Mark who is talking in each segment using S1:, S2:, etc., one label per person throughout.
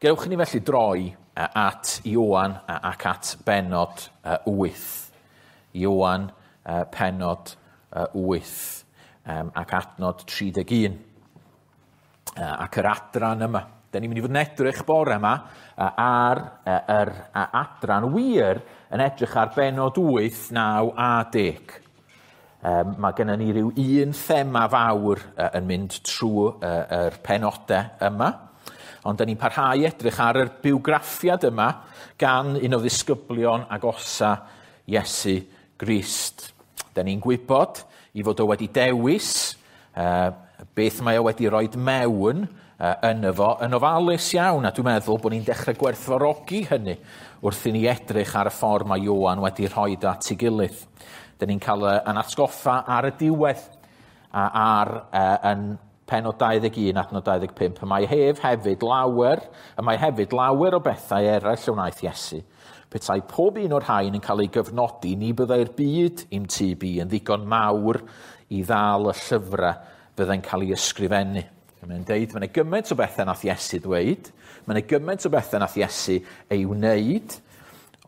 S1: Gewch ni felly droi at Ioan ac at benod 8. Ioan penod 8 ac adnod 31. Ac yr adran yma. Da ni'n mynd i fod yn edrych bore yma ar yr adran wir yn edrych ar benod 8, 9 a 10. Mae gennym ni ryw un thema fawr yn mynd trwy yr penodau yma. Ond da ni'n parhau edrych ar yr bywgraffiad yma gan un o ddisgyblion agosa Iesu Grist. Da ni'n gwybod i fod o wedi dewis beth mae o wedi rhoi mewn yn efo yn ofalus iawn, a dwi'n meddwl bod ni'n dechrau gwerthfawrogi hynny wrth i ni edrych ar y ffordd mae Ioan wedi rhoi at ei gilydd. Da ni'n cael yn atgoffa ar y diwedd ar yn penod 21 adnod 25. Y mae hef hefyd lawer, y mae hefyd lawer o bethau eraill y wnaeth Iesu. Petai pob un o'r rhain yn cael ei gyfnodi, ni byddai'r byd i'm tyb i yn ddigon mawr i ddal y llyfrau fyddai'n cael ei ysgrifennu. Mae'n deud, mae'n gymaint o bethau nath Iesu ddweud, mae'n gymaint o bethau nath Iesu ei wneud,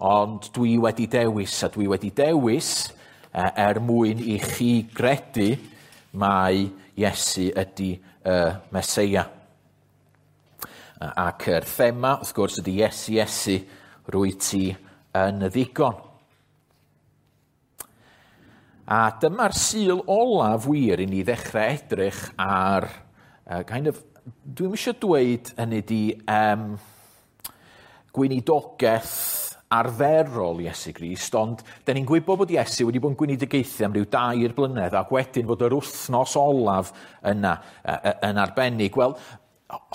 S1: ond dwi wedi dewis, a dwi wedi dewis er mwyn i chi gredu mai Iesu ydy y Meseia. Ac yr thema, wrth gwrs, ydy Iesu, Iesu, rwy ti yn y ddigon. A dyma'r Sul olaf wir i ni ddechrau edrych ar, kind of, dwi'm eisiau dweud hynny di gweinidogaeth arferol Iesu Grist, ond da ni'n gwybod bod Iesu wedi bod yn gweinidogaethu am ryw 2 blynedd, ac wedyn fod yr wythnos olaf yna yn arbennig. Wel,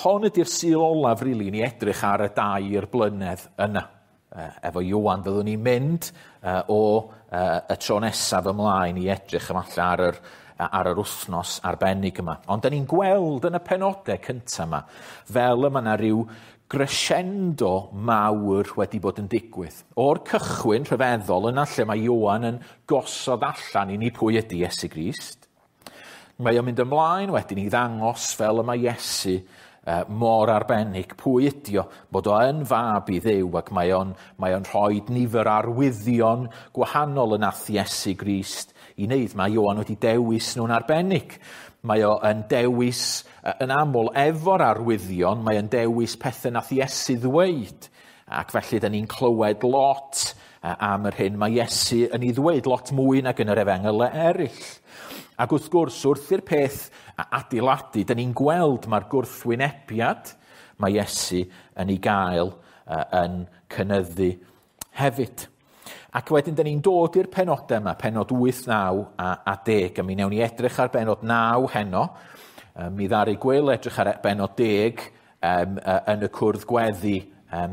S1: hon ydy'r Sul olaf, rili, ni edrych ar y 2 blynedd yna. Efo Ioan fyddwn ni'n mynd o y tro nesaf ymlaen i edrych efallai ar yr wythnos arbennig yma. Ond da ni'n gweld yn y penodau cyntaf yma, fel yma yna rhyw crescendo mawr wedi bod yn digwydd. O'r cychwyn rhyfeddol yna lle mae Ioan yn gosod allan i ni pwy ydy Iesu Grist. Mae o'n mynd ymlaen wedyn i ddangos fel y mae Iesu mor arbennig pwy ydi o, bod o yn fab i Dduw, ac mae o'n rhoi nifer arwyddion gwahanol yn nath Iesu Grist i wneud. Mae Ioan wedi dewis nhw'n arbennig. Mae o yn dewis yn aml efo'r arwyddion, mae o'n dewis pethau nath Iesu ddweud. Ac felly da ni'n clywed lot am yr hyn mae Iesu yn ei ddweud, lot mwy nag yn yr efengylau eraill. Ac wrth gwrs, wrth i'r peth adeiladu, da ni'n gweld mae'r gwrthwynebiad mae Iesu yn ei gael yn cynyddu hefyd. Ac wedyn, da ni'n dod i'r penodau yma, penod 8, 9 a 10, a mi wnawn ni edrych ar benod 9 heno. Mi ddaru Gwyl edrych ar benod 10 yn y cwrdd gweddi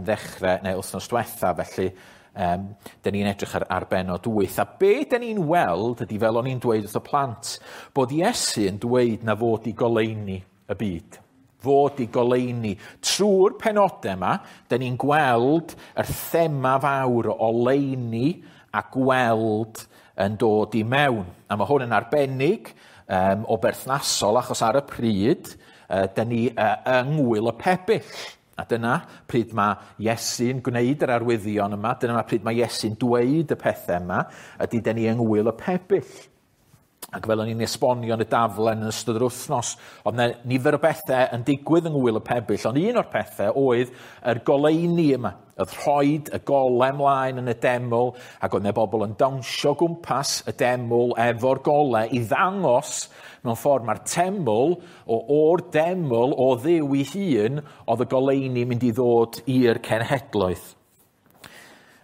S1: ddechrau neu wythnos diwetha, felly da ni'n edrych ar benod 8. A be da ni'n weld ydy, fel o'n i'n dweud wrth y plant, bod Iesu yn dweud na fod i goleuni y byd. Fod i goleuni. Trwy'r penodau yma, da ni'n gweld yr thema fawr o oleuni a gweld yn dod i mewn. A mae hwn yn arbennig o berthnasol, achos ar y pryd, da ni yng Ngŵyl y Pebyll. A dyna pryd mae Iesu'n gwneud yr arwyddion yma, dyna pryd mae Iesu'n dweud y pethau yma, ydy da ni yng Ngŵyl y Pebyll. Ac fel o'n i'n esbonio yn y daflen yn ystod yr wythnos, oedd yna nifer o bethau yn digwydd yng Ngŵyl y Pebyll, ond un o'r pethau oedd yr goleuni yma. Oedd rhoid y golau ymlaen yn y deml, ac oedd yna bobl yn dawnsio gwmpas y deml efo'r golau i ddangos mewn ffordd mae'r teml, o'r deml o Dduw ei hun, oedd y goleuni mynd i ddod i'r cenhedloedd.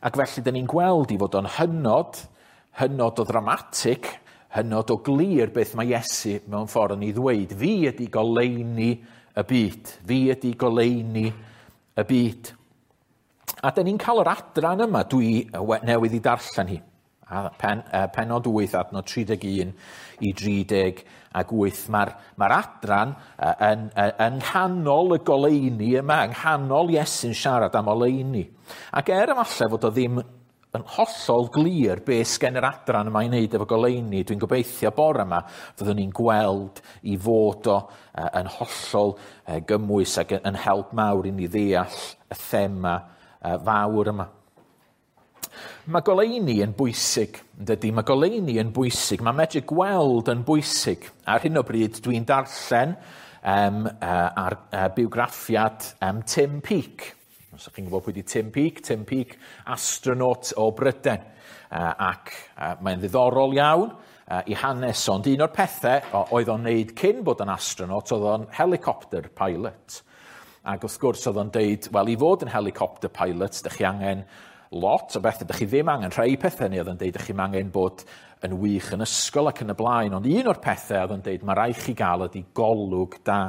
S1: Ac felly, dyn ni'n gweld i fod o'n hynod, hynod o ddramatig, hynod o glir beth mae Iesu mewn ffordd yn ei ddweud. Fi ydy goleuni y byd. Fi ydy goleuni y byd. A dyn ni'n cael yr adran yma, dwi newydd i darllen hi. A penod 8, adnod 31 i 38. Mae'r adran yn nghanol y goleuni yma, yng nghanol Iesu'n siarad am oleuni. Ac er efallai fod o ddim yn hollol glir be sgen yr adran yma i wneud efo goleuni. Dwi'n gobeithio bore yma fyddwn ni'n gweld i fod o yn hollol gymwys ac yn help mawr i ni ddeall y thema fawr yma. Mae goleuni yn bwysig, yn dydy? Mae goleuni yn bwysig. Mae medru gweld yn bwysig. Ar hyn o bryd dwi'n darllen ar bywgraffiad Tim Peake. Os ydych chi'n gwybod pwy 'di Tim Peake, Tim Peake, astronaut o Bryden. Ac mae'n ddiddorol iawn i hanes, ond un o'r pethau oedd o'n neud cyn bod yn astronaut, oedd o'n helicopter pilot. Ac wrth gwrs oedd o'n deud, wel, i fod yn helicopter pilot, dych chi angen lot o bethau, dych chi ddim angen rhai pethau, neu oedd o'n deud, dych chi'n angen bod yn wych yn ysgol ac yn y blaen, ond un o'r pethau oedd o'n deud, mae rhaid chi gael ydy golwg da.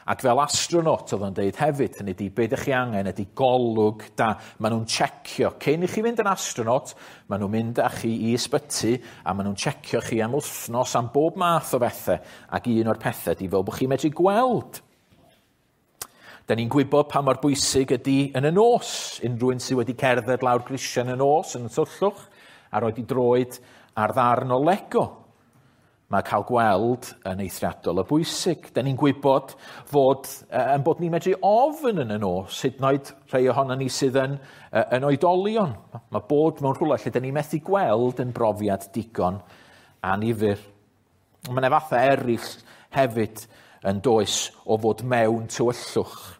S1: Ac fel astronaut oedd o'n deud hefyd, hynny ydy, be ydych chi angen ydy golwg da. Maen nhw'n checio. Cyn i chi fynd yn astronaut, maen nhw'n mynd â chi i ysbyty a maen nhw'n checio chi am wythnos am bob math o bethau. Ac un o'r pethau ydy fel bod chi'n medru gweld. Da ni'n gwybod pa mor bwysig ydy yn y nos. Unrhyw un sydd wedi cerdded lawr grisiau yn y nos yn y tyllwch a roed i droed ar ddarn o Lego. Mae cael gweld yn eithriadol o bwysig. Da ni'n gwybod fod, yn bod ni'n medru ofn yn y nos, hyd yn oed rhai ohono ni sydd yn oedolion. Mae bod mewn rhywle lle da ni'n methu gweld yn brofiad digon annifyr. Mae yna fathau eraill hefyd yn does o fod mewn tywyllwch.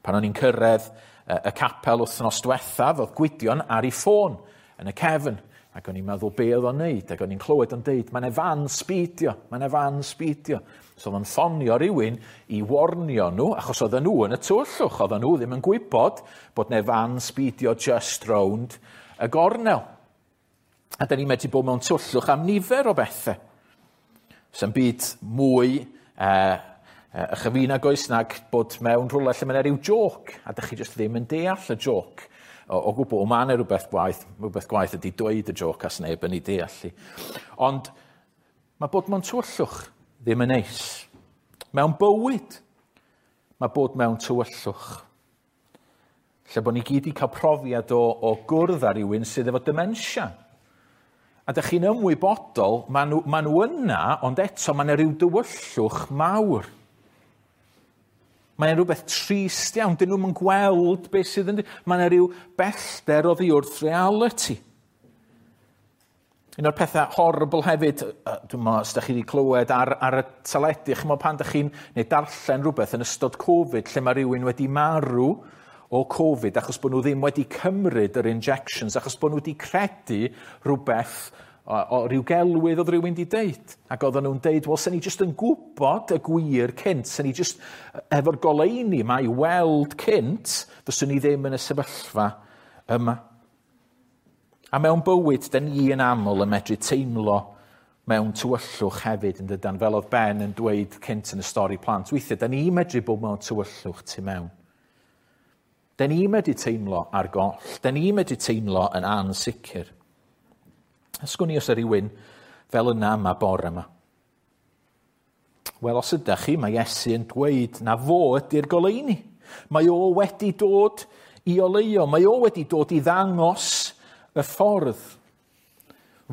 S1: Pan o'n i'n cyrraedd y capel wythnos diwethaf, oedd Gwydion ar ei ffôn yn y cefn. Ac o'n i'n meddwl be oedd o'n neud, ac o'n i'n clywed o'n deud, mae'n fan speedio, mae'n fan speedio. So oedd o'n ffonio rhywun i warnio nhw, achos oedden nhw yn y tywyllwch, oedden nhw ddim yn gwybod bod 'na fan speedio just rownd y gornel. A da ni'n medru bod mewn tywyllwch am nifer o bethau. Sa'm byd mwy ychyfina goes nag bod mewn rhywle lle mae 'na ryw joc, a dych chi just ddim yn deall y joc. O gwbl, mae yna rhywbeth gwaith ydy dweud y joc a sneb yn ei deall i. Ond mae bod mewn tywyllwch ddim yn neis. Mewn bywyd, mae bod mewn tywyllwch. Lle bod ni gyd i cael profiad o gwrdd â rhywun sydd efo dementia. A dych chi'n ymwybodol, maen nhw yna, ond eto mae yna rhyw dywyllwch mawr. Mae'n rhywbeth trist iawn, dyn nhw'n gweld beth sydd yn... Mae yna rhyw bellter oddi wrth reality. Un o'r pethau horrible hefyd, dwi'n meddwl, os ydych chi wedi clywed ar y teledu, chimod pan ydych chi'n neu darllen rhywbeth yn ystod Covid, lle mae rhywun wedi marw o Covid achos bod nhw ddim wedi cymryd yr injections, achos bod nhw wedi credu rhywbeth o ryw gelwydd oedd rhywun wedi deud. Ac oedden nhw'n deud, wel, sen ni jyst yn gwybod y gwir cynt, sen ni jyst efo'r goleuni yma i weld cynt, fyswn ni ddim yn y sefyllfa yma. A mewn bywyd, da ni yn aml yn medru teimlo mewn tywyllwch hefyd, yn dydan, fel oedd Ben yn dweud cynt yn y stori plant. Weithiau, da ni'n medru bod mewn tywyllwch tu mewn. Da ni'n medru teimlo ar goll. Da ni'n medru teimlo yn ansicr. Ysgwn i os yw rhywun fel yna yma bore yma. Wel, os ydych chi, mae Iesu yn dweud na fo ydy'r goleuni. Mae o wedi dod i oleuo. Mae o wedi dod i ddangos y ffordd.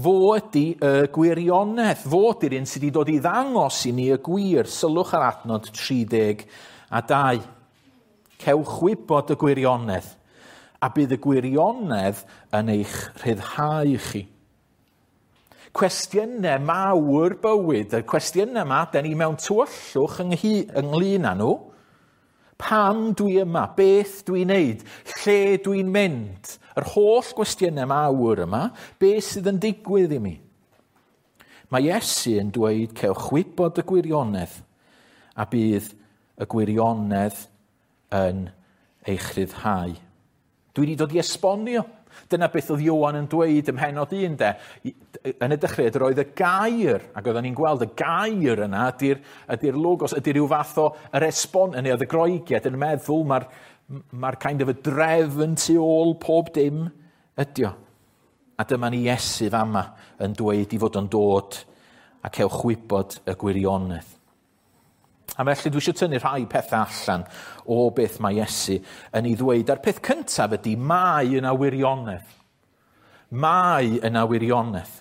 S1: Fo ydy y gwirionedd. Fo ydy'r un sydd wedi dod i ddangos i ni y gwir. Sylwch ar adnod 32. Cewch wybod y gwirionedd, a bydd y gwirionedd yn eich rhyddhau chi. Cwestiynau mawr bywyd, y cwestiynau yma, da ni mewn tywyllwch ynglyn â nhw. Pam dwi yma? Beth dwi'n neud? Lle dwi'n mynd? Yr holl gwestiynau mawr yma, beth sydd yn digwydd i mi? Mae Iesu yn dweud, cewch wybod y gwirionedd, a bydd y gwirionedd yn eich rhyddhau. Dwi wedi dod i esbonio. Dyna beth oedd Ioan yn dweud ym mhennod 1, de. Yn y dechreuad roedd y gair, ac oedden ni'n gweld y gair yna, ydy'r logos, ydy rhyw fath o yr esbon, neu oedd y Groegiad yn meddwl mae'r kind of y drefn tu ôl pob dim ydy o. A dyma ni Iesu fama yn dweud i fod yn dod a cewch wybod y gwirionedd. A felly dwi eisiau tynnu rhai pethau allan o beth mae Iesu yn ei ddweud. A'r peth cyntaf ydy, mae yna wirionedd. Mae yna wirionedd.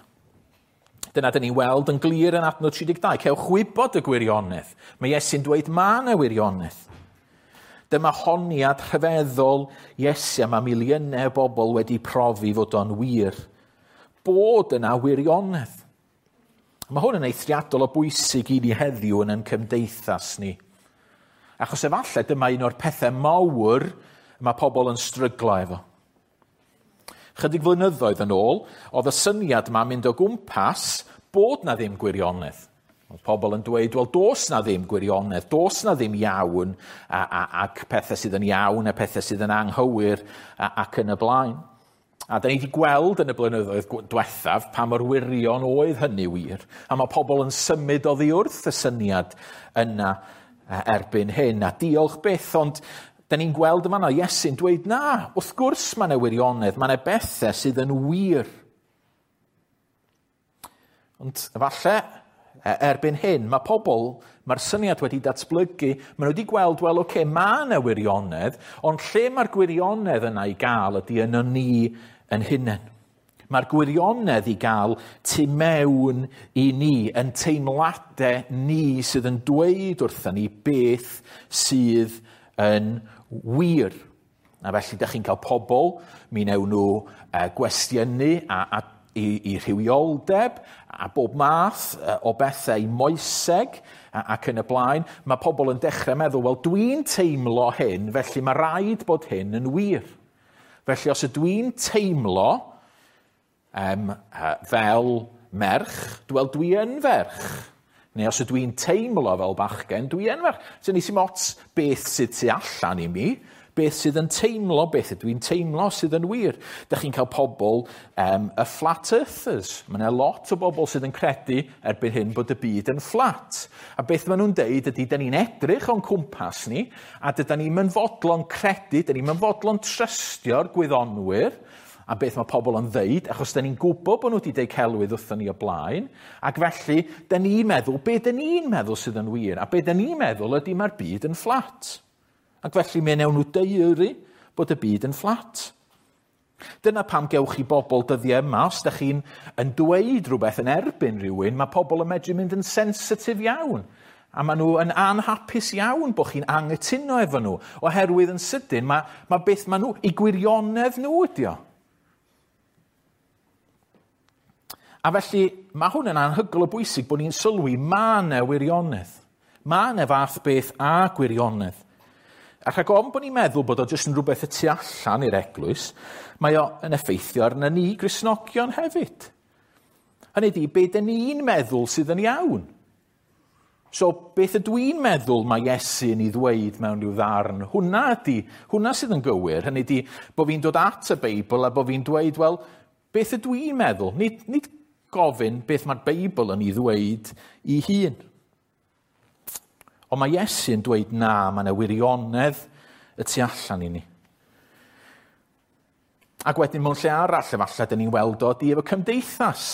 S1: Dyna dyn ni'n weld yn glir yn adnod 32. Cewch wybod y gwirionedd. Mae Iesu'n dweud mae yna wirionedd. Dyma honiad rhyfeddol Iesu a mae miliynau o bobl wedi profi fod o'n wir. Bod yna wirionedd. Mae hwn yn eithriadol o bwysig i ni heddiw yn ein cymdeithas ni. Achos efallai dyma un o'r pethau mawr mae pobl yn stryglo efo. Chydig flynyddoedd yn ôl, oedd y syniad yma'n mynd o gwmpas bod na ddim gwirionedd. Oedd pobl yn dweud, wel, does na ddim gwirionedd, does na ddim iawn, ac pethau sydd yn iawn a pethau sydd yn anghywir ac yn y blaen. A da ni wedi gweld yn y blynyddoedd diwethaf pa mor wirion oedd hynny wir. A mae pobl yn symud oddi wrth y syniad yna erbyn hyn. A diolch byth, ond da ni'n gweld yma na Iesu'n dweud na, wrth gwrs mae yna wirionedd, mae yna bethau sydd yn wir. Ond efallai, erbyn hyn, mae pobl, mae'r syniad wedi datblygu, maen nhw wedi gweld, wel, oce, mae yna wirionedd, ond lle mae'r gwirionedd yna i gael ydy yno ni yn hunain. Mae'r gwirionedd i gael tu mewn i ni, yn teimladau ni sydd yn dweud wrthyn ni beth sydd yn wir. A felly, da chi'n cael pobl, mi wnewn nhw gwestiynu i rhywioldeb a bob math o bethau i moeseg ac yn y blaen. Mae pobl yn dechrau meddwl, wel, dwi'n teimlo hyn, felly mae rhaid bod hyn yn wir. Felly, os ydw i'n teimlo fel merch, wel, dwi yn ferch. Neu os ydw i'n teimlo fel bachgen, dwi yn ferch. So nes i'm ots beth sydd tu allan i mi, beth sydd yn teimlo, beth ydw i'n teimlo sydd yn wir. Dych chi'n cael pobl, y flat earthers. Mae yna lot o bobl sydd yn credu erbyn hyn bod y byd yn fflat. A beth maen nhw'n deud ydy, da ni'n edrych o'n cwmpas ni, a dyda ni'n mynd fodlon credu, da ni'n mynd fodlon trystio'r gwyddonwyr, a beth mae pobl yn ddeud, achos da ni'n gwybod bod nhw wedi deud celwydd wrthon ni o blaen, ac felly, da ni'n meddwl, be da ni'n meddwl sydd yn wir, a be da ni'n meddwl ydy mae'r byd yn fflat. Ac felly mi wnewn nhw daearu bod y byd yn fflat. Dyna pam gewch chi bobl dyddiau yma, os da chi'n yn dweud rhywbeth yn erbyn rhywun, mae pobl yn medru mynd yn sensitif iawn. A maen nhw yn anhapus iawn bod chi'n anghytuno efo nhw, oherwydd yn sydyn mae beth maen nhw, i gwirionedd nhw ydi o. A felly, mae hwn yn anhygoel o bwysig bod ni'n sylwi mae yna wirionedd. Mae yna fath beth a gwirionedd. A rhag ofn bod ni'n meddwl bod o jyst yn rhywbeth y tu allan i'r eglwys, mae o yn effeithio arna ni Gristnogion hefyd. Hynny ydi, be dyn ni'n meddwl sydd yn iawn. So, beth ydw i'n meddwl mae Iesu yn ei ddweud mewn rhyw ddarn? Hwna ydi, hwnna sydd yn gywir. Hynny ydi, bod fi'n dod at y Beibl a bod fi'n dweud, wel, beth ydw i'n meddwl? Nid gofyn beth mae'r Beibl yn ei ddweud i hun. Ond mae Iesu yn dweud na, mae yna wirionedd y tu allan i ni. Ac wedyn mewn lle arall, efallai, dyn ni'n weld o di efo cymdeithas.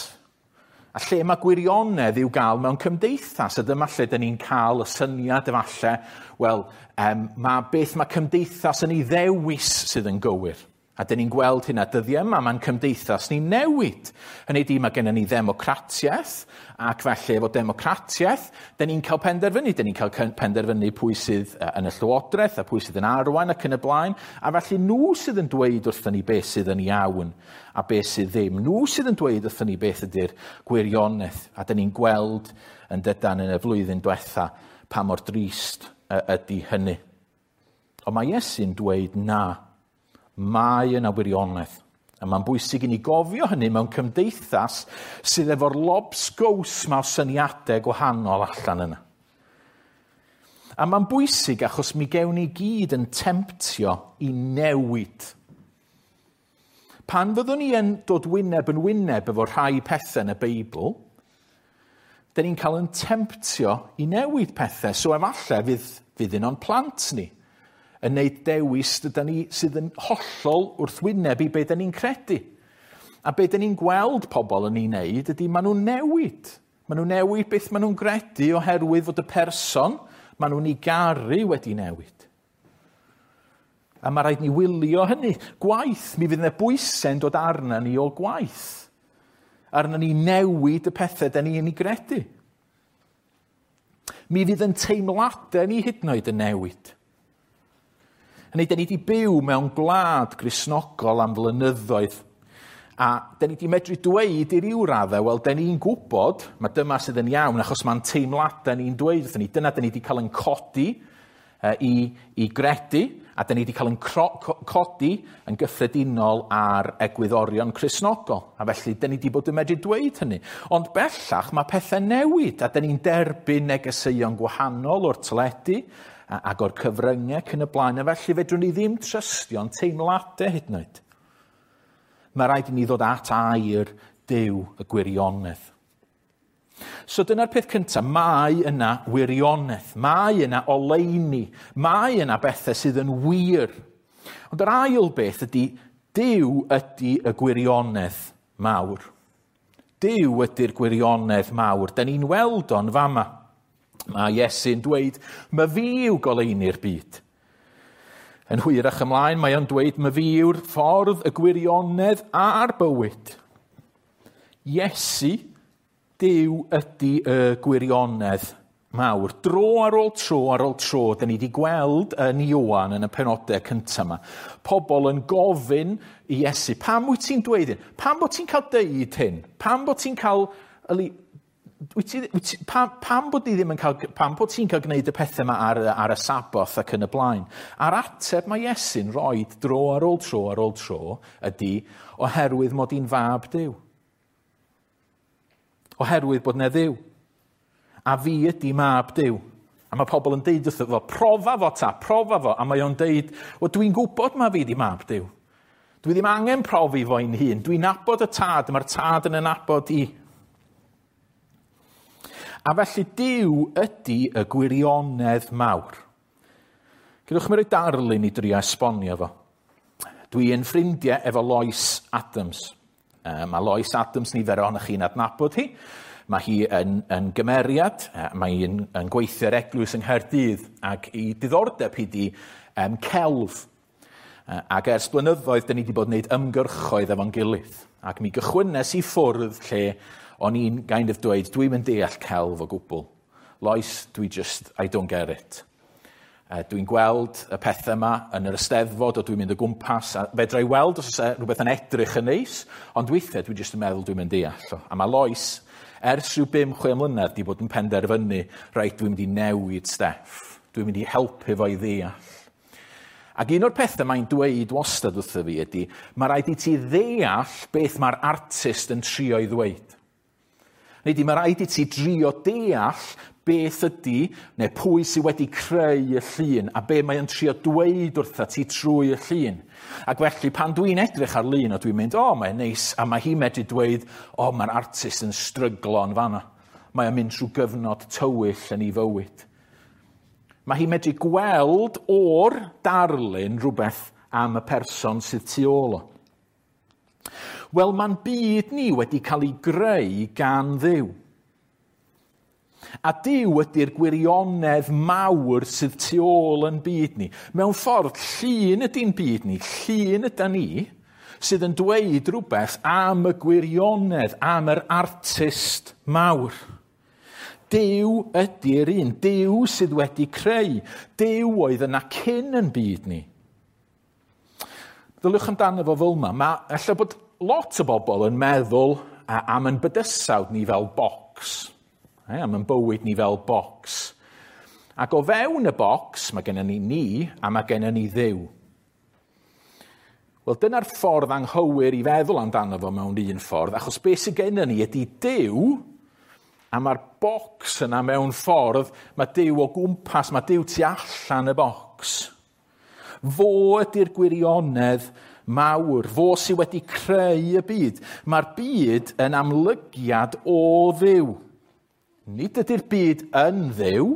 S1: A lle mae gwirionedd i'w gael mewn cymdeithas, a dyma lle dyn ni'n cael y syniad efallai, wel, mae beth mae cymdeithas yn ei ddewis sydd yn gywir. A dyn ni'n gweld hynna dyddiau yma, mae'n cymdeithas ni'n newid. Hynny ydi, mae gennym ni ddemocratiaeth, ac felly efo democratiaeth, dyn ni'n cael penderfynu. Dyn ni'n cael penderfynu pwy sydd yn y llywodraeth a pwy sydd yn arwain ac yn y blaen. A felly nhw sydd yn dweud wrthyn ni beth sydd yn iawn a beth sydd ddim. Nhw sydd yn dweud wrthyn ni beth ydy'r gwirionedd. A dyn ni'n gweld yn dydan yn y flwyddyn diwetha pa mor drist ydy hynny. Ond mae Iesu'n dweud na. Mae yna wirionedd. A mae'n bwysig i ni gofio hynny mewn cymdeithas sydd efo'r lobsgows ma o syniadau gwahanol allan yna. A mae'n bwysig achos mi gewn ni gyd yn temtio i newid. Pan fyddwn ni yn dod wyneb yn wyneb efo rhai pethau yn y Beibl, dyn ni'n cael yn temtio i newid pethau. So efallai fydd un o'n plant ni yn neud dewis dydan ni sydd yn hollol wrthwyneb i be dyn ni'n credu. A be dyn ni'n gweld pobl yn ei wneud ydy maen nhw'n newid. Maen nhw'n newid beth maen nhw'n gredu oherwydd fod y person maen nhw'n ei garu wedi newid. A mae rhaid ni wylio hynny. Gwaith, mi fydd yna bwysau'n dod arna ni o gwaith. Arna ni newid y pethau da ni yn ei gredu. Mi fydd yn teimladau ni hyd yn oed yn newid. Hynny, da ni wedi byw mewn gwlad Gristnogol am flynyddoedd. A da ni wedi medru dweud i ryw raddau, wel, da ni'n gwybod, mae dyma sydd yn iawn, achos mae'n teimladau ni'n dweud wrthyn ni. Dyna da ni wedi cael yn codi i gredu, a da ni wedi cael yn codi yn gyffredinol ar egwyddorion Cristnogol. A felly, da ni wedi bod yn medru dweud hynny. Ond bellach, mae pethau newid, a da ni'n derbyn negeseuon gwahanol o'r teledu ac o'r cyfryngau ac yn y blaen. A felly, fedrwn ni ddim trystio'n teimladau hyd yn oed. Mae rhaid i ni ddod at air Duw y gwirionedd. So dyna'r peth cyntaf, mae yna wirionedd, mae yna oleuni, mae yna bethau sydd yn wir. Ond yr ail beth ydy, Duw ydy y gwirionedd mawr. Duw ydy'r gwirionedd mawr. Da ni'n weld o'n fama. Mae Iesu'n dweud, "Ma fi yw goleuni'r byd." Yn hwyrach ymlaen, mae o'n dweud, "Ma fi yw'r ffordd, y gwirionedd a'r bywyd." Iesu, Duw ydy y gwirionedd mawr. Dro ar ôl tro ar ôl tro, da ni wedi gweld yn Ioan yn y penodau cyntaf yma, pobl yn gofyn i Iesu, pam wyt ti'n dweud hyn? Pam bod ti'n cael deud hyn? Pam bod ti'n cael... Pam bod ni ddim yn cael, pam bod ti'n cael gwneud y pethau yma ar y Saboth ac yn y blaen? A'r ateb mae Iesu'n rhoi dro ar ôl tro ar ôl tro ydy oherwydd mod i'n fab Duw. Oherwydd bod 'na Dduw. A fi ydy mab Duw. A mae pobl yn deud wrtho fo, profa fo ta, profa fo. A mae o'n deud, wel dwi'n gwybod ma fi 'di mab Duw. Dwi ddim angen profi fo'n hun. Dwi'n nabod y tad, mae'r tad yn nabod i. A felly Duw ydy y gwirionedd mawr. Gadewch mi roi darlun i drio esbonio fo. Dwi yn ffrindiau efo Lois Adams. Mae Lois Adams, nifer ohonoch chi'n adnabod hi. Mae hi yn gymeriad, mae hi'n yn gweithio ar eglwys yng Nghaerdydd ac i diddordeb hi di celf. Ac ers blynyddoedd, da ni wedi bod yn gwneud ymgyrchoedd efo'n gilydd. Ac mi gychwynnes i ffwrdd lle o'n i'n kind of dweud, dwi'n mynd deall celf o gwbl. Lois, dwi just, I don't get it. Dwi'n gweld y pethau yma yn yr Eisteddfod o dwi'n mynd o gwmpas, a fedra i weld os oes e rhywbeth yn edrych yn neis, ond weithiau dwi jyst yn meddwl dwi'n mynd deall o. A mae Lois, ers rhyw 5-6 mlynedd, di bod yn penderfynu, reit, dwi'n mynd i newid Steff. Dwi'n mynd i helpu fo i ddeall. Ac un o'r pethau mae'n dweud wastad wrtho fi ydy, mae rhaid i ti ddeall beth mae'r artist yn trio i ddweud. Neu di, mae rhaid i ti drio deall beth ydy, neu pwy sydd wedi creu y llun, a be mae o'n trio dweud wrtha ti trwy y llun. Ac felly, pan dwi'n edrych ar lun, o dwi'n mynd, o, mae'n neis, a mae hi'n medru dweud, o, mae'r artist yn stryglo yn fanna. Mae o'n mynd trwy gyfnod tywyll yn ei fywyd. Mae hi'n medru gweld o'r darlun rhywbeth am y person sydd tu ôl o. Wel, mae'n byd ni wedi cael ei greu gan Dduw. A Duw ydy'r gwirionedd mawr sydd tu ôl yn byd ni. Mewn ffordd, llun ydy'n byd ni, llun ydy ni, sydd yn dweud rhywbeth am y gwirionedd, am yr artist mawr. Duw ydy'r un, Duw sydd wedi creu. Duw oedd yna cyn yn byd ni. Ddyliwch amdano fo fel yma. Mae ella bod lot o bobl yn meddwl am yn bydysawd ni fel bocs. Am yn bywyd ni fel bocs. Ac o fewn y bocs, mae gennym ni ni a mae gennym ni Dduw. Wel, dyna'r ffordd anghywir i feddwl amdano fo mewn un ffordd, achos beth sydd gennym ni ydy Duw, a mae'r bocs yna mewn ffordd, mae Duw o gwmpas, mae Duw tu allan y bocs. Fo ydy'r gwirionedd mawr, fo sydd wedi creu y byd. Mae'r byd yn amlygiad o Dduw. Nid ydy'r byd yn Dduw,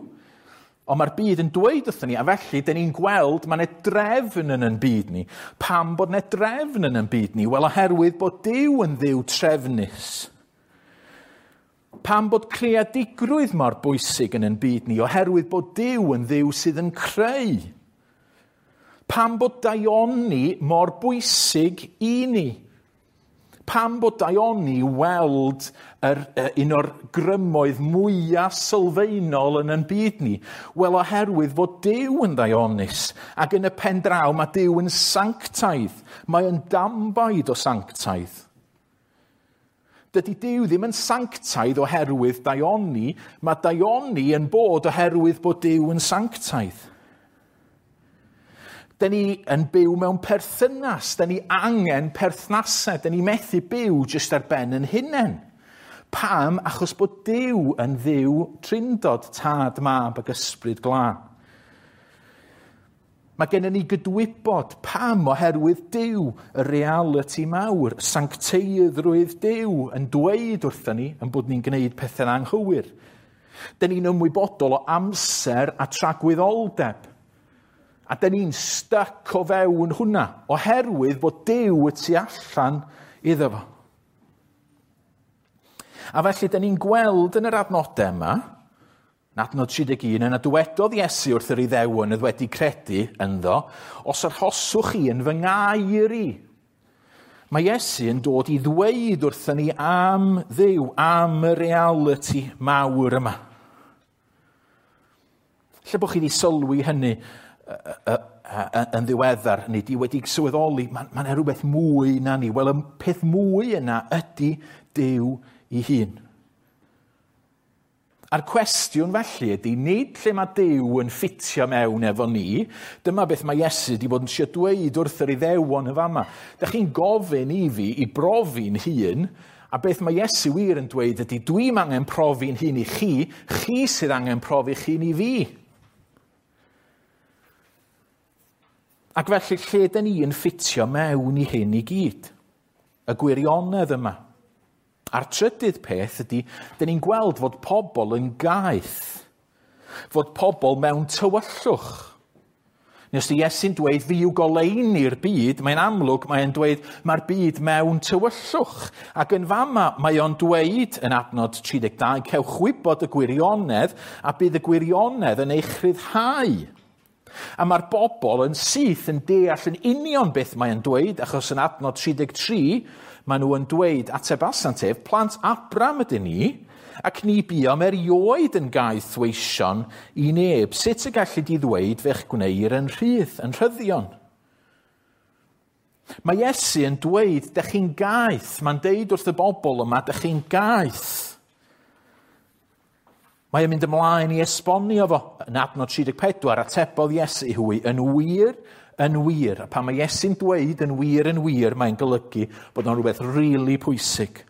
S1: ond mae'r byd yn dweud wrthon ni, a felly dyn ni'n gweld mae 'na drefn yn ein byd ni. Pam bod 'na drefn yn ein byd ni? Wel, oherwydd bod Duw yn Dduw trefnus. Pam bod creadigrwydd mor bwysig yn ein byd ni? Oherwydd bod Duw yn Dduw sydd yn creu. Pam bod daioni mor bwysig i ni? Pam bod daioni weld un o'r grymoedd mwyaf sylfaenol yn ein byd ni? Wel, oherwydd fod Duw yn ddaionus, ac yn y pen draw mae Duw yn sanctaidd. Mae yn dambaid o sanctaidd. Dydy Duw ddim yn sanctaidd oherwydd daioni, mae daioni yn bod oherwydd bod Duw yn sanctaidd. Dyn ni yn byw mewn perthynas, dyn ni angen perthnasau, dyn ni methu byw jyst ar ben yn hunain. Pam? Achos bod Duw yn Dduw trindod, Tad, Mab ac Ysbryd Glân. Mae gennym ni gydwybod pam oherwydd Duw, y realiti mawr, sancteiddrwydd Duw yn dweud wrthyn ni yn bod ni'n gwneud pethau'n anghywir. Dyn ni'n ymwybodol o amser a tragwyddoldeb. A dyn ni'n styc o fewn hwnna, oherwydd bod Duw y tu allan iddo fo. A felly, dyn ni'n gweld yn yr adnodau yma, yn adnod 31, yna dywedodd Iesu wrth yr Iddewon oedd wedi credu ynddo, os arhoswch chi yn fy ngair i. Mae Iesu yn dod i ddweud wrthyn ni am Dduw, am y realiti mawr yma. Lle bod chi wedi sylwi hynny yn ddiweddar, neu di wedi sylweddoli, mae 'na rhywbeth mwy na ni. Wel, y peth mwy yna ydy Duw ei hun. A'r cwestiwn felly ydy, nid lle mae Duw yn ffitio mewn efo ni, dyma beth mae Iesu wedi bod yn trio dweud wrth yr Iddewon yn fama. Dych chi'n gofyn i fi i brofi'n hun, a beth mae Iesu wir yn dweud ydy, dwi'm angen profi'n hun i chi, chi sydd angen profi'ch hun i fi. Ac felly, lle dyn ni yn ffitio mewn i hyn i gyd? Y gwirionedd yma. A'r trydydd peth ydy, dyn ni'n gweld fod pobl yn gaeth, fod pobl mewn tywyllwch. Neu os di Iesu'n dweud, fi yw goleuni'r byd, mae'n amlwg, mae'n dweud, mae'r byd mewn tywyllwch. Ac yn fama, mae o'n dweud yn adnod 32, cewch wybod y gwirionedd, a bydd y gwirionedd yn eich rhyddhau. A mae'r bobl yn syth yn deall yn union beth mae'n dweud, achos yn adnod 33, maen nhw yn dweud, atebasant ef, plant Abram ydyn ni, ac ni buom erioed yn gaethweision i neb. Sut y gallu di ddweud fe'ch gwneir yn rhydd, yn rhyddion? Mae Iesu yn dweud, dych chi'n gaeth. Mae'n deud wrth y bobl yma, dych chi'n gaeth. Mae o'n mynd ymlaen i esbonio fo. Yn adnod 34, atebodd Iesu i hwy, yn wir, yn wir. A pan mae Iesu'n dweud yn wir, yn wir, mae'n golygu bod o'n rhywbeth rili pwysig.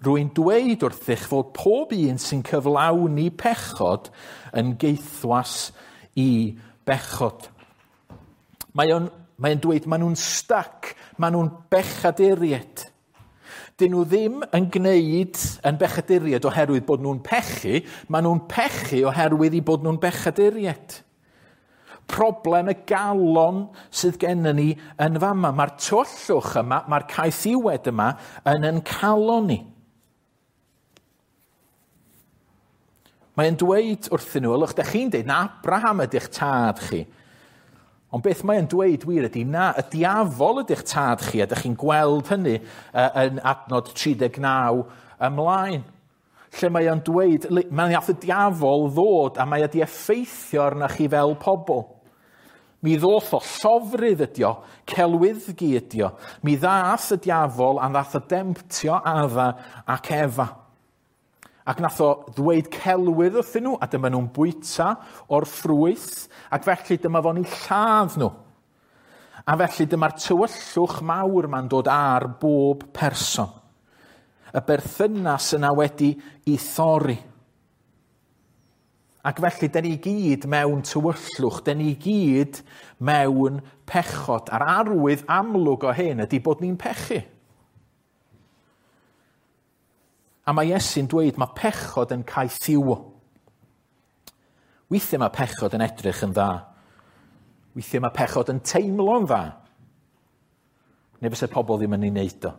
S1: Rwy'n dweud wrthych fod pob un sy'n cyflawni pechod yn gaethwas i bechod. Mae o'n dweud maen nhw'n stuck, maen nhw'n bechaduriaid. Dyn nhw ddim yn gwneud yn bechaduriaid oherwydd bod nhw'n pechu, maen nhw'n pechu oherwydd i bod nhw'n bechaduriaid. Problem y galon sydd gennym ni yn fama. Mae'r tywyllwch yma, mae'r caethiwed yma yn ein calon ni. Mae'n dweud wrthyn nhw, ylwch, dych chi'n dweud na Abraham ydych tad chi. Ond beth mae'n dweud wir ydy, na, y diafol ydych tad chi, a dych chi'n gweld hynny yn adnod 39 ymlaen. Lle mae o'n dweud, mae'n nath y diafol ddod a mae wedi effeithio arna chi fel pobl. Mi ddoth o llofrudd ydi o, celwyddgi ydi o. Mi ddath y diafol a ddath o demtio Adda ac Efa. Ac nath o ddweud celwydd wrthyn nhw, a dyma nhw'n bwyta o'r ffrwyth, ac felly dyma fo'n eu lladd nhw. A felly dyma'r tywyllwch mawr ma'n dod ar bob person. Y berthynas yna wedi ei thorri. Ac felly, dyn ni gyd mewn tywyllwch, dyn ni gyd mewn pechod. A'r arwydd amlwg o hyn ydy bod ni'n pechu. A mae Iesu'n dweud mae pechod yn caethiwo. Weithiau mae pechod yn edrych yn dda. Weithiau mae pechod yn teimlo'n dda. Neu fysa pobl ddim yn ei wneud o.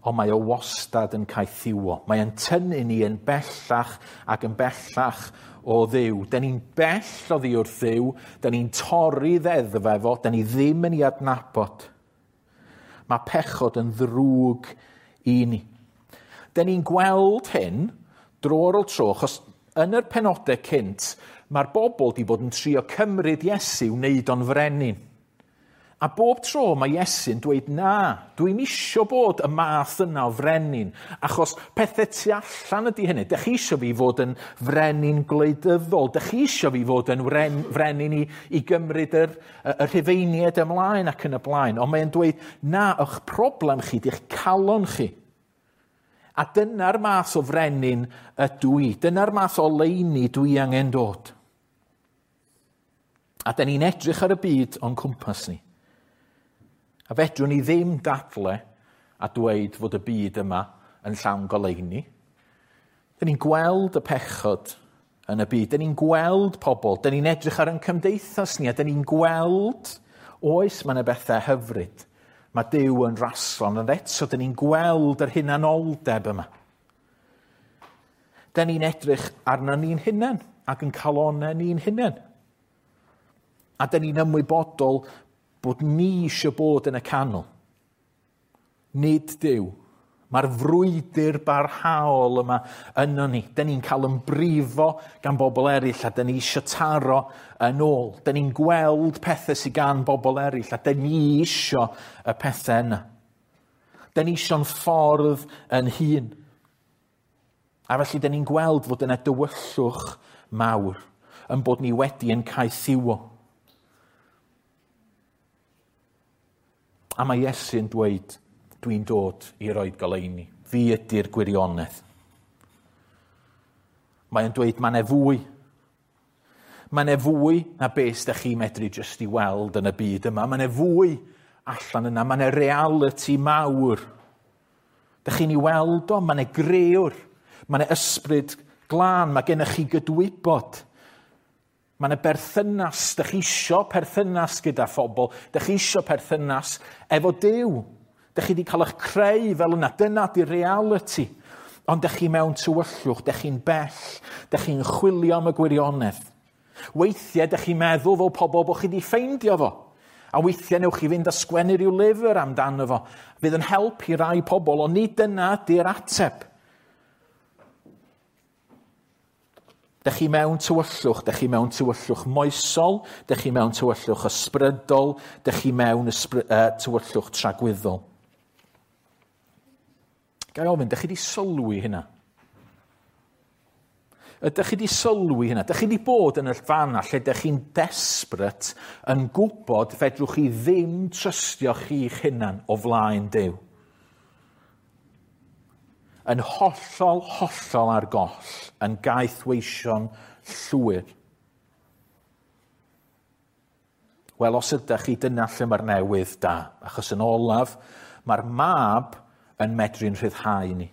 S1: Ond mae o wastad yn caethiwo. Mae yn tynnu ni yn bellach ac yn bellach o Dduw. Da ni'n bell oddi wrth Dduw, da ni'n torri ddeddf efo, da ni ddim yn ei adnabod. Mae pechod yn ddrwg i ni. Da ni'n gweld hyn dro ar ôl tro, achos yn yr penodau cynt, mae'r bobl wedi bod yn trio cymryd Iesu wneud o'n frenin. A bob tro mae Iesu'n dweud na, dwi'n isio bod y math yna o frenin, achos pethau tu allan ydy hynny. Dych chi isio fi fod yn frenin gwleidyddol, dych chi isio fi fod yn frenin i gymryd y Rhufeiniaid ymlaen ac yn y blaen. Ond mae'n dweud, na, eich problem chi, di'ch calon chi. A dyna'r math o frenin ydw i. Dyna'r math o leini dwi angen dod. A da ni'n edrych ar y byd o'n cwmpas ni. A fedrwn ni ddim dadle a dweud fod y byd yma yn llawn goleuni. Dyn ni'n gweld y pechod yn y byd. Dyn ni'n gweld pobl. Dyn ni'n edrych ar ein cymdeithas ni a dyn ni'n gweld, oes, mae yna bethau hyfryd. Mae Duw yn raslon, ond eto dyn ni'n gweld yr hunanoldeb yma. Dyn ni'n edrych arno ni'n hunain ac yn calonau ni'n hunain. A dyn ni'n ymwybodol bod ni eisiau bod yn y canol. Nid Duw. Mae'r frwydr barhaol yma yno ni. Dyn ni'n cael yn brifo gan bobl eraill a dyn ni eisiau taro yn ôl. Dyn ni'n gweld pethau sydd gan bobl eraill a dyn ni eisiau y pethau yna. Dyn ni eisiau'n ffordd yn hun. A felly dyn ni'n gweld fod yna dywyllwch mawr yn bod ni wedi yn caethiwo. A mae Iesu'n dweud, dwi'n dod i roed goleuni. Fi ydy'r gwirionedd. Mae'n dweud, mae 'na fwy. Mae 'na fwy na beth ydych chi'n medru jyst i weld yn y byd yma. Mae 'na fwy allan yna. Mae 'na reality mawr. Dych chi'n ei weld o? Mae 'na grëwr. Mae 'na ysbryd glân. Mae gennych chi gydwybod. Mae yna berthynas, dych chi isio perthynas gyda phobl, dych chi isio perthynas efo Duw. Dych chi wedi cael eich creu fel yna, dyna di'r reality. Ond dych chi mewn tywyllwch, dych chi'n bell, dych chi'n chwilio am y gwirionedd. Weithiau dych chi'n meddwl fel pobl bod chi wedi ffeindio fo. A weithiau newch chi fynd a sgwennu rhyw lyfr amdano fo. Fydd yn help i rai pobl, ond nid dyna di'r ateb. Dych chi mewn tywyllwch, dych chi mewn tywyllwch moesol, dych chi mewn tywyllwch ysbrydol, dych chi mewn tywyllwch tragwyddol. Ga i ofyn, dych chi wedi sylwi hynna? Ydych chi wedi sylwi hynna? Dych chi wedi bod yn y fanna lle dych chi'n desperate yn gwybod fedrwch chi ddim trystio chi'ch hunan o flaen Duw? Yn hollol, hollol ar goll, yn gaethweision llwyr. Wel, os ydych chi, dyna lle mae'r newydd da. Achos yn olaf, mae'r mab yn medru'n rhyddhau ni.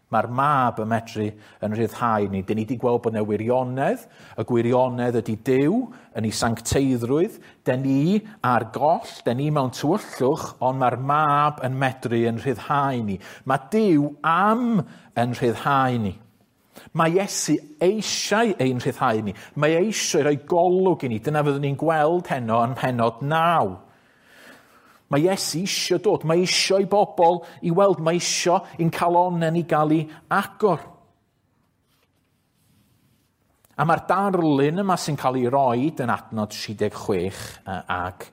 S1: Mae'r mab yn medru yn rhyddhau ni. Dyn ni wedi gweld bod yna wirionedd. Y gwirionedd ydy Duw yn ei sancteiddrwydd. Dyn ni ar goll, dyn ni mewn tywyllwch, ond mae'r mab yn medru yn rhyddhau ni. Mae Duw am yn rhyddhau ni. Mae Iesu eisiau ein rhyddhau ni. Mae eisiau rhoi golwg i ni. Dyna fyddwn ni'n gweld heno yn pennod 9. Mae Iesu eisiau dod, mae eisiau i bobl i weld, mae eisiau i'n calonnau ni gael ei agor. A mae'r darlun yma sy'n cael ei roed yn adnod 36 ac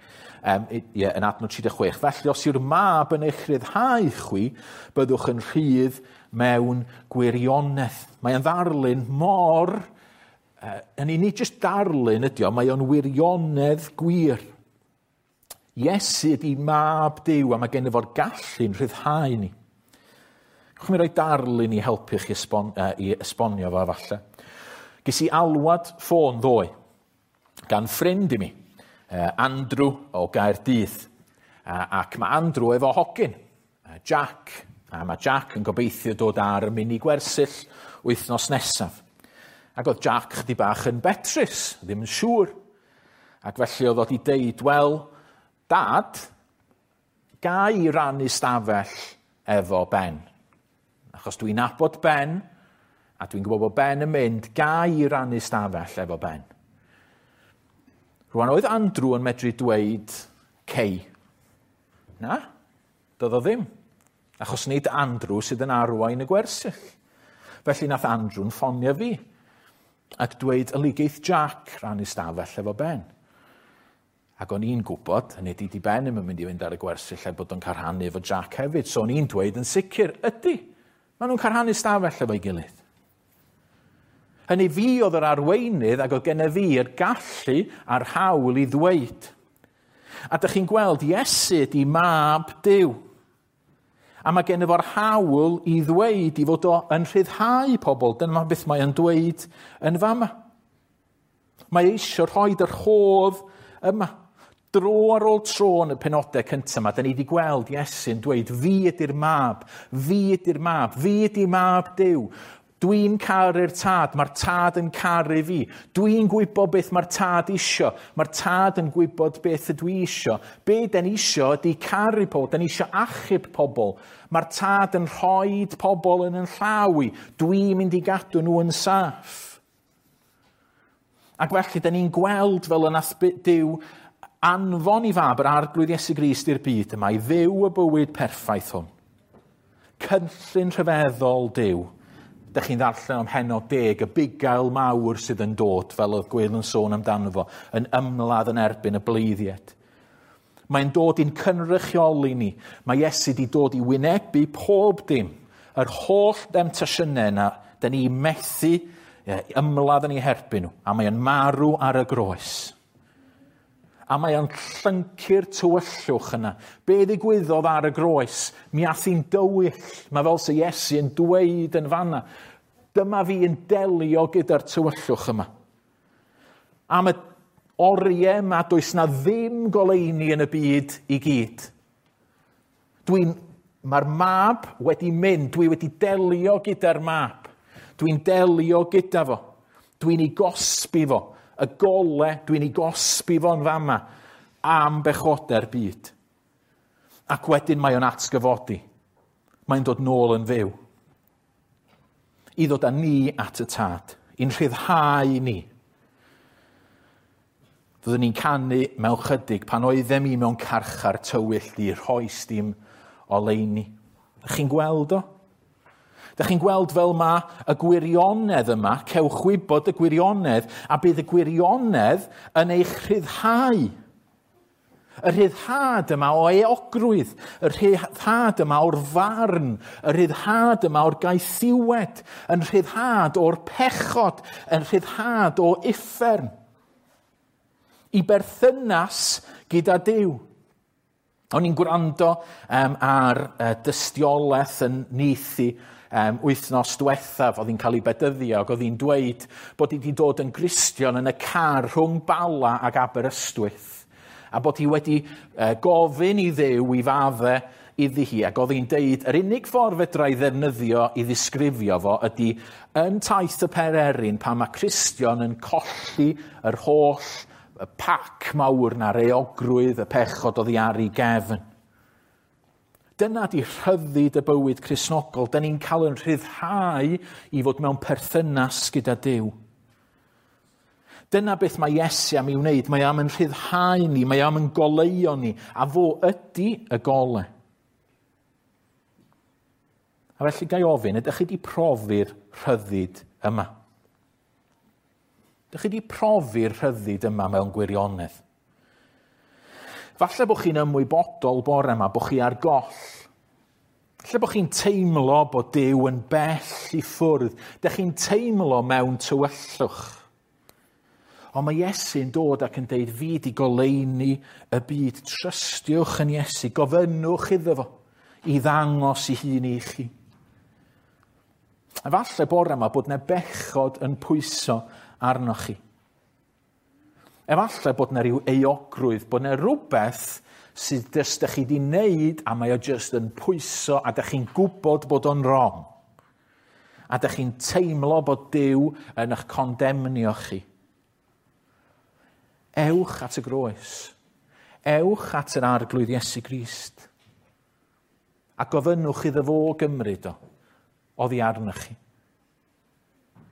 S1: yn adnod 36. Felly, os yw'r mab yn eich rhyddhau chwi, byddwch yn rhydd mewn gwirionedd. Mae'n ddarlun mor, yn unig jyst darlun ydi o, mae o'n wirionedd gwir. Iesu ydi mab Duw a mae genno fo'r gallu'n rhyddhau ni. Gewch mi roi darlun i helpu chi i esbonio fo falle. Ges i alwad ffôn ddoe gan ffrind i mi, Andrew o Gaerdydd. Ac mae Andrew efo hogyn, Jack. A mae Jack yn gobeithio dod ar y mini gwersyll wythnos nesaf. Ac oedd Jack chydig bach yn betrus, ddim yn siŵr. Ac felly oedd o wedi deud, wel, Dad, ga i rannu stafell efo Ben. Achos dwi'n nabod Ben, a dwi'n gwybod bod Ben yn mynd, ga i rannu stafell efo Ben. Rwan oedd Andrew yn medru dweud cei. Na, doedd o ddim. Achos nid Andrew sydd yn arwain y gwersyll. Felly nath Andrew'n ffonio fi ac dweud yligeith Jack rannu stafell efo Ben. Ac o'n i'n gwybod, hynny ydi, di Ben ddim yn mynd i fynd ar y gwersyll er bod o'n cael rhannu efo Jack hefyd. So o'n i'n dweud yn sicr, ydy, maen nhw'n cael rhannu stafell efo'i gilydd. Hynny fi oedd yr arweinydd ac oedd gennyf fi yr gallu a'r hawl i ddweud. A dych chi'n gweld, Iesu ydi mab Duw. A mae gennyf fo'r hawl i ddweud i fod o yn rhyddhau pobl. Dyna beth mae o'n dweud yn fama. Mae eisiau rhoi yr rhodd yma. Dro ar ôl tro yn y penodau cyntaf yma, da ni wedi gweld Iesu'n dweud, fi ydy'r mab, fi ydy'r mab, fi ydy mab Duw. Dwi'n caru'r tad, mae'r tad yn caru fi. Dwi'n gwybod beth mae'r tad isio. Mae'r tad yn gwybod beth ydw i isio. Be den isio ydy caru pobl, den isio achub pobl. Mae'r tad yn rhoi pobl yn yn llaw i. Dwi'n mynd i gadw nhw yn saff. Ac felly, da ni'n gweld fel y nath Duw anfon i fab yr Arglwydd Iesu Grist i'r byd yma i fyw y bywyd perffaith hwn. Cynllun rhyfeddol Duw. Dych chi'n ddarllen am heno 10, y bugail mawr sydd yn dod, fel oedd Gwyl yn sôn amdano fo, yn ymladd yn erbyn y bleiddiad. Mae'n dod i'n cynrychioli ni. Mae Iesu wedi dod i wynebu pob dim. Yr holl demtasiynau yna, da ni methu ymladd yn ei herbyn nhw. A mae'n marw ar y groes. A mae o'n llyncu'r tywyllwch yna. Be ddigwyddodd ar y groes? Mi ath hi'n dywyll. Mae fel sy Iesu yn dweud yn fanna. Dyma fi yn delio gyda'r tywyllwch yma. Am y oriau yma, does na ddim goleuni yn y byd i gyd. Mae'r mab wedi mynd. Dwi wedi delio gyda'r mab. Dwi'n delio gyda fo. Dwi'n ei gosbi fo. Y gole, dwi'n ei gosbi fo'n fama am bechodau'r byd. Ac wedyn mae o'n atgyfodi. Mae'n dod nôl yn fyw. I ddod â ni at y tad. I'n rhyddhau ni. Fyddwn ni'n canu mewn chydig pan oeddem i mewn carchar tywyll di rhoes dim oleuni. Ydych chi'n gweld o? Dych chi'n gweld fel mae y gwirionedd yma, cewch wybod y gwirionedd, a bydd y gwirionedd yn eich rhyddhau. Y rhyddhad yma o euogrwydd, y rhyddhad yma o'r farn, y rhyddhad yma o'r gaethiwed, yn rhyddhad o'r pechod, yn rhyddhad o uffern. I berthynas gyda Duw. O'n i'n gwrando ar dystiolaeth yn Neithi wythnos diwethaf, oedd hi'n cael ei bedyddio, ac oedd hi'n dweud bod hi wedi dod yn Gristion yn y car rhwng Bala ac Aberystwyth, a bod hi wedi gofyn i Dduw i fadde iddi hi, ac oedd hi'n deud yr unig ffordd fedra i ddefnyddio i ddisgrifio fo ydy yn taith y Pererin pan mae Cristion yn colli yr holl y pac mawr na'r euogrwydd, y pechod oddi ar ei gefn. Dyna di rhyddid y bywyd Cristnogol. Da ni'n cael yn rhyddhau i fod mewn perthynas gyda Duw. Dyna beth mae Iesu am ei wneud. Mae am yn rhyddhau ni, mae am yn goleuo ni, a fo ydy y gole. A felly gai ofyn, ydych chi wedi profi'r rhyddid yma? Ydych chi wedi profi'r rhyddid yma mewn gwirionedd? Falle bod chi'n ymwybodol bore yma, bod chi ar goll. Falle bod chi'n teimlo bod Duw yn bell i ffwrdd. Dych chi'n teimlo mewn tywyllwch. Ond mae Iesu'n dod ac yn deud, fi di goleuni y byd. Trystiwch yn Iesu, gofynnwch iddo fo i ddangos i hun i chi. A falle bore yma bod 'na bechod yn pwyso arnoch chi. Efallai bod 'na ryw euogrwydd, bod 'na rhywbeth sydd jyst dych chi 'di wneud a mae o jyst yn pwyso a dych chi'n gwybod bod o'n wrong. A dych chi'n teimlo bod Duw yn eich condemnio chi. Ewch at y groes. Ewch at yr Arglwydd Iesu Grist. A gofynnwch iddo fo gymryd o oddi arnoch chi.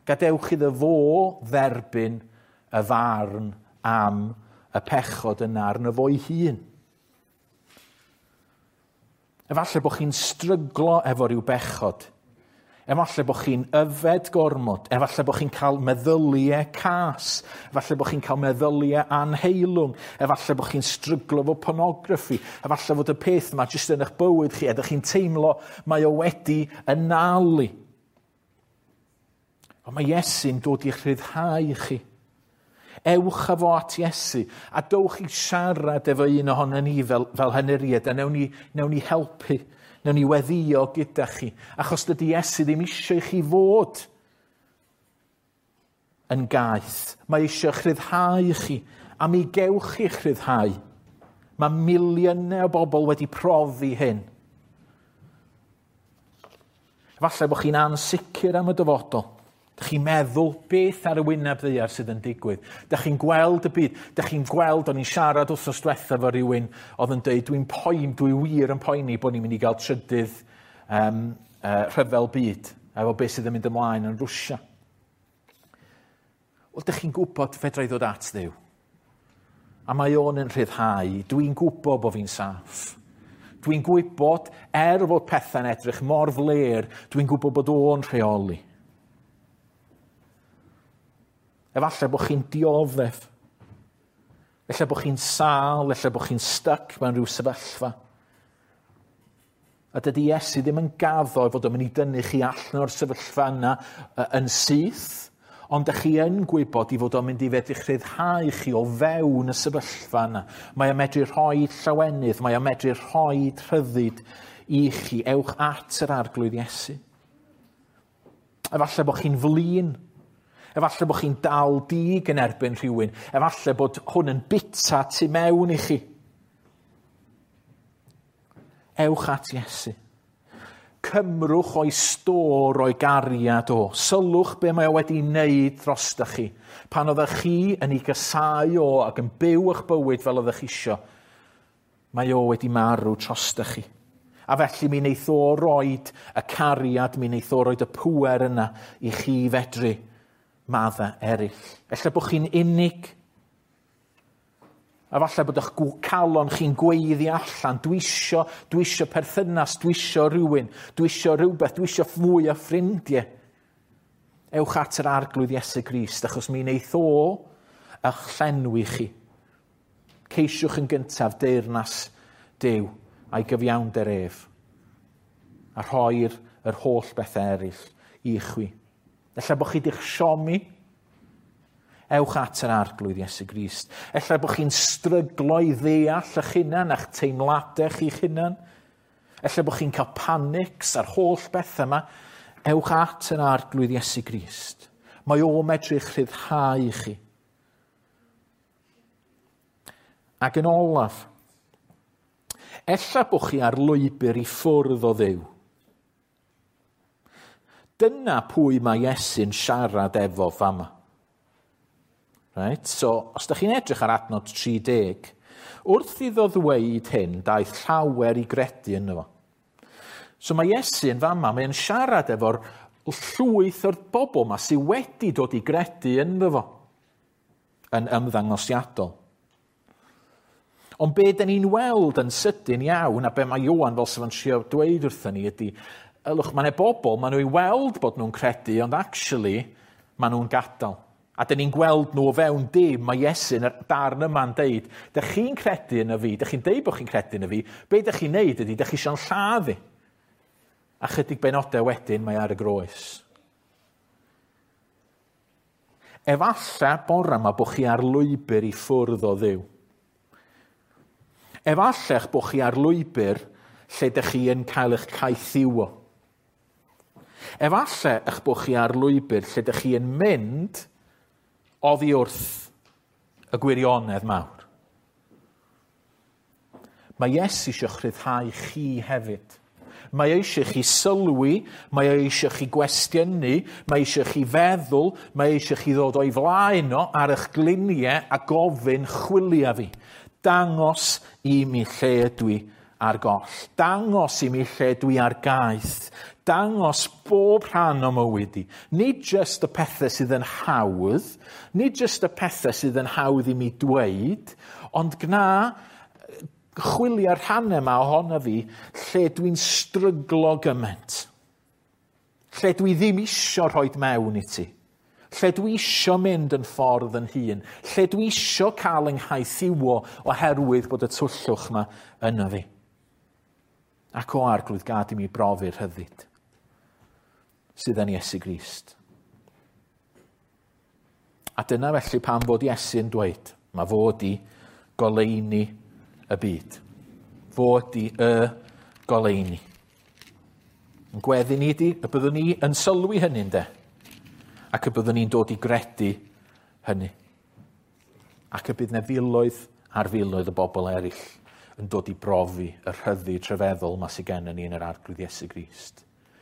S1: Gadewch iddo fo dderbyn y farn am y pechod yna arno fo'i hun. Efallai bod chi'n stryglo efo rhyw bechod. Efallai bod chi'n yfed gormod. Efallai bod chi'n cael meddyliau cas. Efallai bod chi'n cael meddyliau anheilwng. Efallai bod chi'n stryglo efo pornograffi. Efallai fod y peth yma jyst yn eich bywyd chi a ydych chi'n teimlo mae o wedi anallu. Ond mae Iesu'n dod i'ch rhyddhau chi. Ewch â fo at Iesu a dowch i siarad efo un ohono ni fel henuriaid a newn ni helpu, newn ni weddïo gyda chi, achos dydy Iesu ddim eisiau i chi fod yn gaeth. Mae eisiau eich rhyddhau chi, a mi gewch chi'ch rhyddhau. Mae miliynau o bobl wedi profi hyn. Efallai bod chi'n ansicr am y dyfodol. Dych chi'n meddwl beth ar y wyneb ddaear sydd yn digwydd. Dych chi'n gweld y byd. Dych chi'n gweld, o'n i'n siarad wythnos diwethaf efo rhywun oedd yn dweud, dwi'n poen, dwi wir yn poeni bod ni'n mynd i gael trydydd rhyfel byd efo beth sydd yn mynd ymlaen yn Rwsia. Wel, dych chi'n gwybod fedra i ddod at Dduw. A mae o'n yn rhyddhau. Dwi'n gwybod bod fi'n saff. Dwi'n gwybod, er fod pethau'n edrych mor flêr, dwi'n gwybod bod o'n rheoli. Efallai bod chi'n dioddef. Efallai bod chi'n sâl, efallai bod chi'n styc mewn rhyw sefyllfa. A dydy Iesu ddim yn gaddo fod o'n mynd i dynnu chi allan o'r sefyllfa yna yn syth, ond ydych chi yn gwybod i fod o'n mynd i fedru rhyddhau chi o fewn y sefyllfa yna. Mae o'n medru rhoi llawenydd, mae o'n medru rhoi rhyddid i chi. Ewch at yr Arglwydd Iesu. Efallai bod chi'n flin. Efallai bod chi'n dal dig yn erbyn rhywun. Efallai bod hwn yn bita tu mewn i chi. Ewch at Iesu. Cymrwch o'i stôr o'i gariad o. Sylwch be mae o wedi wneud drostoch chi. Pan oeddech chi yn ei gasáu o ac yn byw eich bywyd fel oeddech chi isio, mae o wedi marw drostoch chi. A felly mi wneith o roed y cariad, mi wneith o roed y pŵer yna i chi fedru maddau eraill. Ella bod chi'n unig. A falle bod eich calon chi'n gweiddi allan. Dwi isio perthynas, dwi isio rhywun, dwi isio rhywbeth, dwi isio mwy o ffrindiau. Ewch at yr Arglwydd Iesu Grist, achos mi wneith o eich llenwi chi. Ceisiwch yn gyntaf deyrnas Duw a'i gyfiawnder ef, a rhoi'r yr holl bethau eraill i chwi. Ella bod chi wedi'ch siomi. Ewch at yr Arglwydd Iesu Grist. Ella bod chi'n stryglo i ddeall eich hunan a'ch teimladau chi'ch hunan. Ella bod chi'n cael panics a'r holl bethau yma. Ewch at yr Arglwydd Iesu Grist. Mae o medru eich rhyddhau chi. Ac yn olaf, ella bod chi ar lwybr i ffwrdd o Dduw. Dyna pwy mae Iesu'n siarad efo fama. Right? So, os ydych chi'n edrych ar adnod 30, wrth iddo ddweud hyn, daeth llawer i gredu yno fo. So mae Iesu yn fama, mae'n siarad efo'r llwyth o'r bobl yma sydd wedi dod i gredu ynddo fo, yn ymddangosiadol. Ond be dyn ni'n weld yn sydyn iawn, a be mae Ioan fel sef yn trio dweud wrthyn ni ydy, ylwch, mae yna bobl, maen nhw i weld bod nhw'n credu, ond actually, maen nhw'n gadael. A dyn ni'n gweld nhw o fewn dim, mae Iesu yn y darn yma'n deud, dych chi'n credu yn y fi, dych chi'n deud bod chi'n credu yn y fi, be dych chi'n neud ydy, dych chi eisiau'n lladd i. A chydig benodau wedyn mae ar y groes. Efallai bore yma bod chi ar lwybr i ffwrdd o Dduw. Efallai eich bod chi ar lwybr lle dych chi yn cael eich caethiwo. Efallai eich bod chi ar lwybr lle dych chi yn mynd oddi wrth y gwirionedd mawr. Mae Iesu eisiau rhyddhau chi hefyd. Mae eisiau chi sylwi, mae eisiau chi gwestiynu, mae eisiau chi feddwl, mae eisiau chi ddod o'i flaen o ar eich gliniau a gofyn chwilio fi. Dangos i mi lle ydw i ar goll. Dangos i mi lle dwi ar gaeth. Dangos bob rhan o mywyd i. Nid jyst y pethau sydd yn hawdd, nid jyst y pethau sydd yn hawdd i mi dweud, ond gna chwilio'r rhannau yma ohono fi lle dwi'n stryglo gymaint. Lle dwi ddim isio rhoi mewn i ti. Lle dwi isio mynd yn ffordd yn hun. Lle dwi isio cael yng nghaethiwo oherwydd bod y twllwch yma yno fi. Ac o Arglwydd, gad i mi brofi'r rhyddid sydd yn Iesu Grist. A dyna felly pam fod Iesu yn dweud, mae fod i goleuni y byd. Fod i y goleuni. Yn gweddi ni ydi y byddwn ni yn sylwi hynny ynde? Ac y byddwn ni'n dod i gredu hynny. Ac y bydd 'na filoedd ar filoedd o bobl eraill yn dod i brofi y rhyddid rhyfeddol ma sydd gennym ni yn yr Arglwydd Iesu Grist.